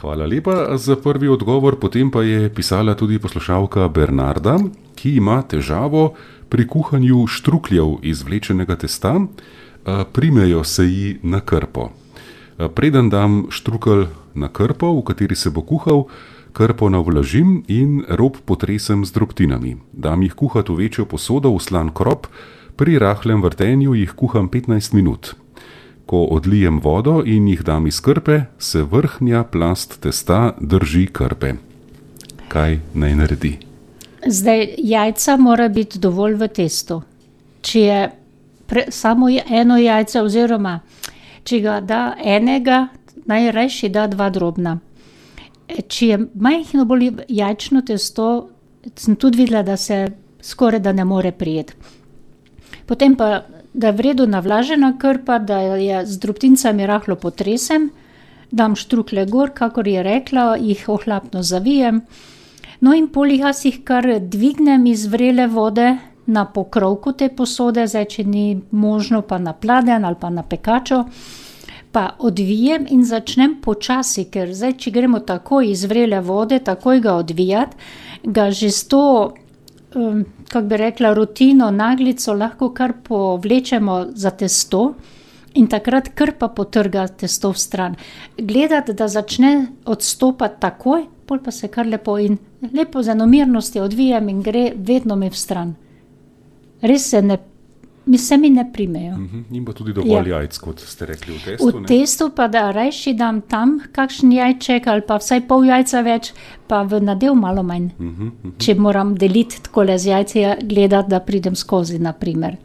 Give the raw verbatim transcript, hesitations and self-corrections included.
Hvala lepa za prvi odgovor, potem pa je pisala tudi poslušalka Bernarda, ki ima težavo pri kuhanju štrukljev iz vlečenega testa, primejo se ji na krpo. Preden dam štrukelj na krpo, v kateri se bo kuhal, krpo navlažim in rob potresem z drobtinami. Dam jih kuhat v večjo posodo v slan krop, pri rahlem vrtenju jih kuham petnajst minut. Ko odlijem vodo in jih dam iz krpe, se vrhnja plast testa drži krpe. Kaj naj naredi? Zdaj, jajca mora biti dovolj v testu. Če je pre, samo eno jajce oziroma če ga da enega, najrajši da dva drobna. Če je majhno bolj jajčno testo, sem tudi videla, da se skoraj da ne more prijeti. Potem pa da je v redu navlažena krpa, da je z drobtincami rahlo potresem, dam štruklje gor, kakor je rekla, jih ohlapno zavijem. No in pol jaz jih kar dvignem iz vrele vode na pokrovku te posode, zdaj, če ni možno pa na pladenj ali pa na pekačo, pa odvijem in začnem počasi, ker zdaj, če gremo takoj iz vrele vode, takoj ga odvijati, ga že s to, um, kako bi rekla, rutino, naglico lahko kar povlečemo za testo in takrat krpa potrga testo v stran. Gledati, da začne odstopati takoj, pol pa se kar lepo in lepo z enomirnosti odvijem in gre vedno mi v stran. Res se ne, mi se mi ne primejo. Uh-huh. In pa tudi dovolj ja. Jajc, kot ste rekli v testu. V ne? Testu pa da rajši dam tam kakšen jajček ali pa vsaj pol jajca več, pa v nadev malo manj. Uh-huh, uh-huh. Če moram deliti takole z jajci, gledati, da pridem skozi, na primer.